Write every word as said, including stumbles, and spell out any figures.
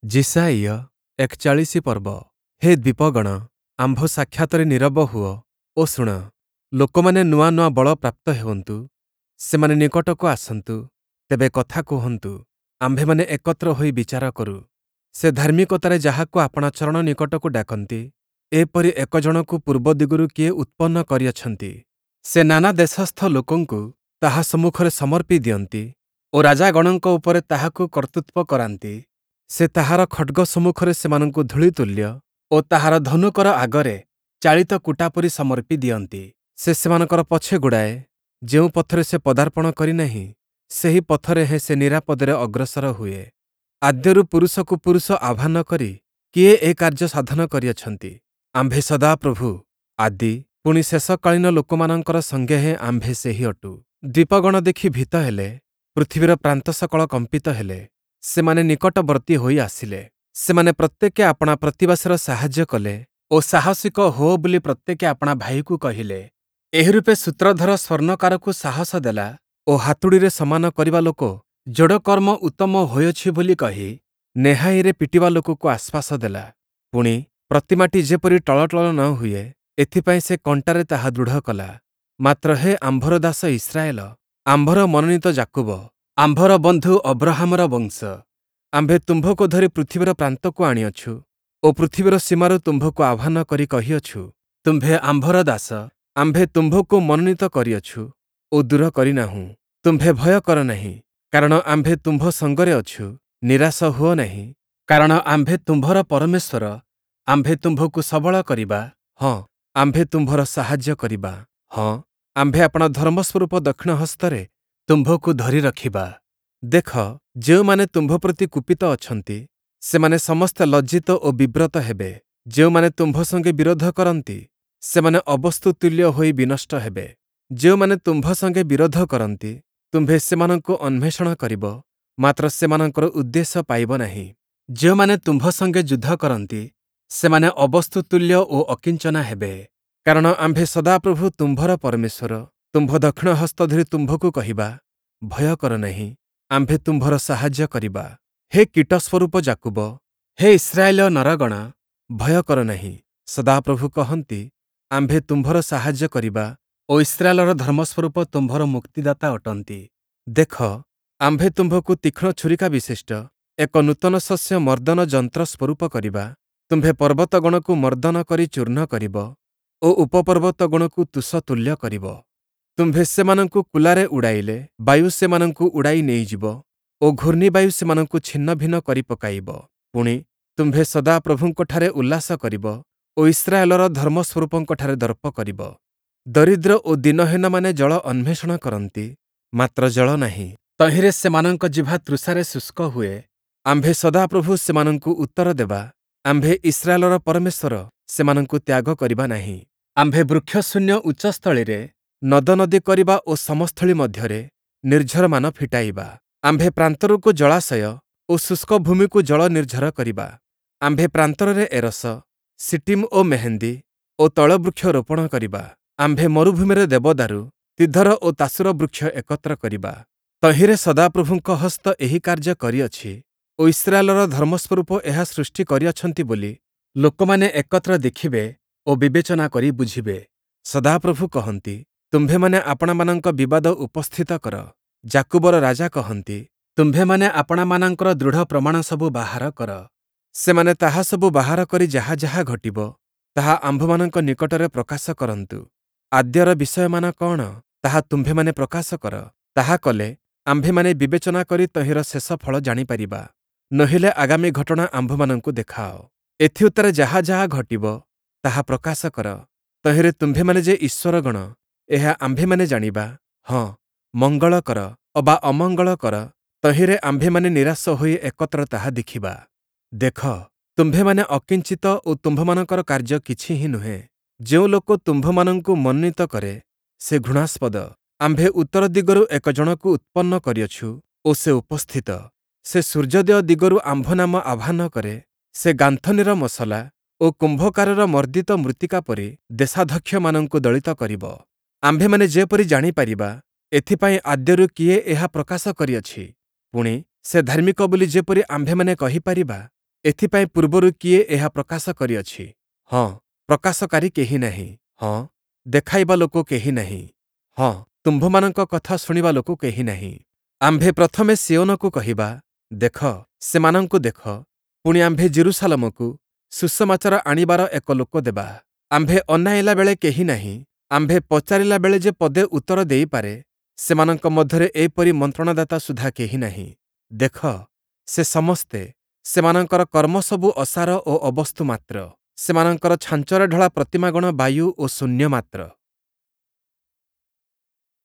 ଯିଶାଇୟ ଏକଚାଳିଶ ପର୍ବ। ହେ ଦ୍ୱୀପଗଣ, ଆମ୍ଭ ସାକ୍ଷାତରେ ନୀରବ ହୁଅ ଓ ଶୁଣ। ଲୋକମାନେ ନୂଆ ନୂଆ ବଳ ପ୍ରାପ୍ତ ହେଉନ୍ତୁ। ସେମାନେ ନିକଟକୁ ଆସନ୍ତୁ, ତେବେ କଥା କୁହନ୍ତୁ। ଆମ୍ଭେମାନେ ଏକତ୍ର ହୋଇ ବିଚାର କରୁ। ସେ ଧାର୍ମିକତାରେ ଯାହାକୁ ଆପଣା ଚରଣ ନିକଟକୁ ଡାକନ୍ତି, ଏପରି ଏକ ଜଣକୁ ପୂର୍ବ ଦିଗରୁ କିଏ ଉତ୍ପନ୍ନ କରିଅଛନ୍ତି? ସେ ନାନା ଦେଶସ୍ଥ ଲୋକଙ୍କୁ ତାହା ସମ୍ମୁଖରେ ସମର୍ପି ଦିଅନ୍ତି ଓ ରାଜାଗଣଙ୍କ ଉପରେ ତାହାକୁ କର୍ତ୍ତୃତ୍ୱ କରାନ୍ତି। ସେ ତାହାର ଖଡ଼୍ଗ ସମ୍ମୁଖରେ ସେମାନଙ୍କୁ ଧୂଳି ତୁଲ୍ୟ ଓ ତାହାର ଧନୁକର ଆଗରେ ଚାଳିତ କୁଟା ପରି ସମର୍ପି ଦିଅନ୍ତି। ସେ ସେମାନଙ୍କର ପଛେ ଗୋଡ଼ାଏ, ଯେଉଁ ପଥରେ ସେ ପଦାର୍ପଣ କରିନାହିଁ, ସେହି ପଥରେ ହେଁ ସେ ନିରାପଦରେ ଅଗ୍ରସର ହୁଏ। ଆଦ୍ୟରୁ ପୁରୁଷକୁ ପୁରୁଷ ଆହ୍ୱାନ କରି କିଏ ଏ କାର୍ଯ୍ୟ ସାଧନ କରିଅଛନ୍ତି? ଆମ୍ଭେ ସଦାପ୍ରଭୁ ଆଦି, ପୁଣି ଶେଷକାଳୀନ ଲୋକମାନଙ୍କର ସଙ୍ଗେ ହେଁ ଆମ୍ଭେ ସେହି ଅଟୁ। ଦ୍ୱୀପଗଣ ଦେଖି ଭୀତ ହେଲେ, ପୃଥିବୀର ପ୍ରାନ୍ତ ସକଳ କମ୍ପିତ ହେଲେ। ସେମାନେ ନିକଟବର୍ତ୍ତୀ ହୋଇ ଆସିଲେ। ସେମାନେ ପ୍ରତ୍ୟେକେ ଆପଣା ପ୍ରତିବାସୀର ସାହାଯ୍ୟ କଲେ ଓ ସାହସିକ ହୁଅ ବୋଲି ପ୍ରତ୍ୟେକେ ଆପଣା ଭାଇକୁ କହିଲେ। ଏହିରୂପେ ସୂତ୍ରଧର ସ୍ୱର୍ଣ୍ଣକାରକୁ ସାହସ ଦେଲା ଓ ହାତୁଡ଼ିରେ ସମାନ କରିବା ଲୋକ ଯୋଡ଼କର୍ମ ଉତ୍ତମ ହୋଇଅଛି ବୋଲି କହି ନେହାଇରେ ପିଟିବା ଲୋକକୁ ଆଶ୍ୱାସ ଦେଲା। ପୁଣି, ପ୍ରତିମାଟି ଯେପରି ଟଳଟଳ ନ ହୁଏ, ଏଥିପାଇଁ ସେ କଣ୍ଟାରେ ତାହା ଦୃଢ଼ କଲା। ମାତ୍ର ହେ ଆମ୍ଭର ଦାସ ଇସ୍ରାଏଲ, ଆମ୍ଭର ମନୋନୀତ ଯାକୁବ, ଆମ୍ଭର ବନ୍ଧୁ ଅବ୍ରହାମର ବଂଶ, ଆମ୍ଭେ ତୁମ୍ଭକୁ ଧରି ପୃଥିବୀର ପ୍ରାନ୍ତକୁ ଆଣିଅଛୁ ଓ ପୃଥିବୀର ସୀମାରୁ ତୁମ୍ଭକୁ ଆହ୍ୱାନ କରି କହିଅଛୁ, ତୁମ୍ଭେ ଆମ୍ଭର ଦାସ, ଆମ୍ଭେ ତୁମ୍ଭକୁ ମନୋନୀତ କରିଅଛୁ ଓ ଦୂର କରିନାହୁଁ। ତୁମ୍ଭେ ଭୟ କର ନାହିଁ, କାରଣ ଆମ୍ଭେ ତୁମ୍ଭ ସଙ୍ଗରେ ଅଛୁ। ନିରାଶ ହୁଅ ନାହିଁ, କାରଣ ଆମ୍ଭେ ତୁମ୍ଭର ପରମେଶ୍ୱର। ଆମ୍ଭେ ତୁମ୍ଭକୁ ସବଳ କରିବା, ହଁ, ଆମ୍ଭେ ତୁମ୍ଭର ସାହାଯ୍ୟ କରିବା। ହଁ, ଆମ୍ଭେ ଆପଣା ଧର୍ମସ୍ୱରୂପ ଦକ୍ଷିଣ ହସ୍ତରେ ତୁମ୍ଭକୁ ଧରି ରଖିବା। ଦେଖ, ଯେଉଁମାନେ ତୁମ୍ଭ ପ୍ରତି କୁପିତ ଅଛନ୍ତି, ସେମାନେ ସମସ୍ତେ ଲଜ୍ଜିତ ଓ ବିବ୍ରତ ହେବେ। ଯେଉଁମାନେ ତୁମ୍ଭ ସଙ୍ଗେ ବିରୋଧ କରନ୍ତି, ସେମାନେ ଅବସ୍ତୁ ତୁଲ୍ୟ ହୋଇ ବିନଷ୍ଟ ହେବେ। ଯେଉଁମାନେ ତୁମ୍ଭ ସଙ୍ଗେ ବିରୋଧ କରନ୍ତି, ତୁମ୍ଭେ ସେମାନଙ୍କୁ ଅନ୍ୱେଷଣ କରିବ, ମାତ୍ର ସେମାନଙ୍କର ଉଦ୍ଦେଶ୍ୟ ପାଇବ ନାହିଁ। ଯେଉଁମାନେ ତୁମ୍ଭ ସଙ୍ଗେ ଯୁଦ୍ଧ କରନ୍ତି, ସେମାନେ ଅବସ୍ତୁ ତୁଲ୍ୟ ଓ ଅକିଞ୍ଚନା ହେବେ। କାରଣ ଆମ୍ଭେ ସଦାପ୍ରଭୁ ତୁମ୍ଭର ପରମେଶ୍ୱର, ତୁମ୍ଭ ଦକ୍ଷିଣ ହସ୍ତ ଧରି ତୁମ୍ଭକୁ କହିବା, ଭୟ କର ନାହିଁ, ଆମ୍ଭେ ତୁମ୍ଭର ସାହାଯ୍ୟ କରିବା। ହେ କୀଟସ୍ୱରୂପ ଯାକୁବ, ହେ ଇସ୍ରାଏଲୀୟ ନରଗଣ, ଭୟ କର ନାହିଁ। ସଦାପ୍ରଭୁ କହନ୍ତି, ଆମ୍ଭେ ତୁମ୍ଭର ସାହାଯ୍ୟ କରିବା ଓ ଇସ୍ରାଏଲର ଧର୍ମସ୍ୱରୂପ ତୁମ୍ଭର ମୁକ୍ତିଦାତା ଅଟନ୍ତି। ଦେଖ, ଆମ୍ଭେ ତୁମ୍ଭକୁ ତୀକ୍ଷ୍ଣ ଛୁରିକା ବିଶିଷ୍ଟ ଏକ ନୂତନ ଶସ୍ୟ ମର୍ଦ୍ଦନ ଯନ୍ତ୍ର ସ୍ୱରୂପ କରିବା। ତୁମ୍ଭେ ପର୍ବତଗଣକୁ ମର୍ଦ୍ଦନ କରି ଚୂର୍ଣ୍ଣ କରିବ ଓ ଉପପର୍ବତଗଣକୁ ତୁଷ ତୁଲ୍ୟ କରିବ। ତୁମ୍ଭେ ସେମାନଙ୍କୁ କୁଲାରେ ଉଡ଼ାଇଲେ ବାୟୁ ସେମାନଙ୍କୁ ଉଡ଼ାଇ ନେଇଯିବ ଓ ଘୂର୍ଣ୍ଣିବାୟୁ ସେମାନଙ୍କୁ ଛିନ୍ନଭିନ୍ନ କରି ପକାଇବ। ପୁଣି, ତୁମ୍ଭେ ସଦାପ୍ରଭୁଙ୍କଠାରେ ଉଲ୍ଲାସ କରିବ ଓ ଇସ୍ରାଏଲର ଧର୍ମସ୍ୱରୂପଙ୍କଠାରେ ଦର୍ପ କରିବ। ଦରିଦ୍ର ଓ ଦୀନହୀନମାନେ ଜଳ ଅନ୍ୱେଷଣ କରନ୍ତି, ମାତ୍ର ଜଳ ନାହିଁ। ତହିଁରେ ସେମାନଙ୍କ ଜିହ୍ବା ତୃଷାରେ ଶୁଷ୍କ ହୁଏ। ଆମ୍ଭେ ସଦାପ୍ରଭୁ ସେମାନଙ୍କୁ ଉତ୍ତର ଦେବା। ଆମ୍ଭେ ଇସ୍ରାଏଲର ପରମେଶ୍ୱର ସେମାନଙ୍କୁ ତ୍ୟାଗ କରିବା ନାହିଁ। ଆମ୍ଭେ ବୃକ୍ଷଶୂନ୍ୟ ଉଚ୍ଚସ୍ଥଳୀରେ ନଦନଦୀ କରିବା ଓ ସମସ୍ଥଳୀ ମଧ୍ୟରେ ନିର୍ଝରମାନ ଫିଟାଇବା। ଆମ୍ଭେ ପ୍ରାନ୍ତରକୁ ଜଳାଶୟ ଓ ଶୁଷ୍କ ଭୂମିକୁ ଜଳ ନିର୍ଝର କରିବା। ଆମ୍ଭେ ପ୍ରାନ୍ତରରେ ଏରସ, ଶିଟୀମ୍ ଓ ମେହେନ୍ଦୀ ଓ ତୈଳବୃକ୍ଷ ରୋପଣ କରିବା। ଆମ୍ଭେ ମରୁଭୂମିରେ ଦେବଦାରୁ, ତିଧର ଓ ତାସୁର ବୃକ୍ଷ ଏକତ୍ର କରିବା। ତହିଁରେ ସଦାପ୍ରଭୁଙ୍କ ହସ୍ତ ଏହି କାର୍ଯ୍ୟ କରିଅଛି ଓ ଇସ୍ରାଏଲର ଧର୍ମସ୍ୱରୂପ ଏହା ସୃଷ୍ଟି କରିଅଛନ୍ତି ବୋଲି ଲୋକମାନେ ଏକତ୍ର ଦେଖିବେ ଓ ବିବେଚନା କରି ବୁଝିବେ। ସଦାପ୍ରଭୁ କହନ୍ତି, ତୁମ୍ଭେମାନେ ଆପଣାମାନଙ୍କ ବିବାଦ ଉପସ୍ଥିତ କର। ଯାକୁବର ରାଜା କହନ୍ତି, ତୁମ୍ଭେମାନେ ଆପଣାମାନଙ୍କର ଦୃଢ଼ ପ୍ରମାଣ ସବୁ ବାହାର କର। ସେମାନେ ତାହା ସବୁ ବାହାର କରି ଯାହା ଯାହା ଘଟିବ, ତାହା ଆମ୍ଭମାନଙ୍କ ନିକଟରେ ପ୍ରକାଶ କରନ୍ତୁ। ଆଦ୍ୟର ବିଷୟମାନ କଅଣ, ତାହା ତୁମ୍ଭେମାନେ ପ୍ରକାଶ କର। ତାହା କଲେ ଆମ୍ଭେମାନେ ବିବେଚନା କରି ତହିଁର ଶେଷ ଫଳ ଜାଣିପାରିବା। ନୋହିଲେ ଆଗାମୀ ଘଟଣା ଆମ୍ଭମାନଙ୍କୁ ଦେଖାଅ। ଏଥିଉତ୍ତାରେ ଯାହା ଯାହା ଘଟିବ, ତାହା ପ୍ରକାଶ କର। ତହିଁରେ ତୁମ୍ଭେମାନେ ଯେ ଈଶ୍ୱରଗଣ, ଏହା ଆମ୍ଭେମାନେ ଜାଣିବା। ହଁ, ମଙ୍ଗଳ କର ଅବା ଅମଙ୍ଗଳ କର, ତହିଁରେ ଆମ୍ଭେମାନେ ନିରାଶ ହୋଇ ଏକତ୍ର ତାହା ଦେଖିବା। ଦେଖ, ତୁମ୍ଭେମାନେ ଅକିଞ୍ଚିତ ଓ ତୁମ୍ଭମାନଙ୍କର କାର୍ଯ୍ୟ କିଛି ହିଁ ନୁହେଁ। ଯେଉଁ ଲୋକ ତୁମ୍ଭମାନଙ୍କୁ ମନୋନୀତ କରେ, ସେ ଘୃଣାସ୍ପଦ। ଆମ୍ଭେ ଉତ୍ତର ଦିଗରୁ ଏକ ଜଣକୁ ଉତ୍ପନ୍ନ କରିଅଛୁ ଓ ସେ ଉପସ୍ଥିତ। ସେ ସୂର୍ଯ୍ୟୋଦୟ ଦିଗରୁ ଆମ୍ଭ ନାମ ଆହ୍ୱାନ କରେ। ସେ ଗାନ୍ଥନୀର ମସଲା ଓ କୁମ୍ଭକାରର ମର୍ଦ୍ଦିତ ମୃତ୍ତିକା ପରି ଦେଶାଧ୍ୟକ୍ଷମାନଙ୍କୁ ଦଳିତ କରିବ। ଆମ୍ଭେମାନେ ଯେପରି ଜାଣିପାରିବା, ଏଥିପାଇଁ ଆଦ୍ୟରୁ କିଏ ଏହା ପ୍ରକାଶ କରିଅଛି? ପୁଣି, ସେ ଧାର୍ମିକ ବୋଲି ଯେପରି ଆମ୍ଭେମାନେ କହିପାରିବା, ଏଥିପାଇଁ ପୂର୍ବରୁ କିଏ ଏହା ପ୍ରକାଶ କରିଅଛି? ହଁ, ପ୍ରକାଶକାରୀ କେହି ନାହିଁ। ହଁ, ଦେଖାଇବା ଲୋକ କେହି ନାହିଁ। ହଁ, ତୁମ୍ଭମାନଙ୍କ କଥା ଶୁଣିବା ଲୋକ କେହି ନାହିଁ। ଆମ୍ଭେ ପ୍ରଥମେ ସିୟୋନକୁ କହିବା, ଦେଖ, ସେମାନଙ୍କୁ ଦେଖ, ପୁଣି ଆମ୍ଭେ ଯିରୂଶାଲମକୁ ସୁସମାଚାର ଆଣିବାର ଏକ ଲୋକ ଦେବା। ଆମ୍ଭେ ଅନାଇଲା ବେଳେ କେହି ନାହିଁ, ଆମ୍ଭେ ପଚାରିଲା ବେଳେ ଯେ ପଦେ ଉତ୍ତର ଦେଇପାରେ, ସେମାନଙ୍କ ମଧ୍ୟରେ ଏପରି ମନ୍ତ୍ରଣାଦାତା ସୁଦ୍ଧା କେହି ନାହିଁ। ଦେଖ, ସେ ସମସ୍ତେ, ସେମାନଙ୍କର କର୍ମସବୁ ଅସାର ଓ ଅବସ୍ତୁ ମାତ୍ର, ସେମାନଙ୍କର ଛାଞ୍ଚରେ ଢଳା ପ୍ରତିମାଗଣ ବାୟୁ ଓ ଶୂନ୍ୟ ମାତ୍ର।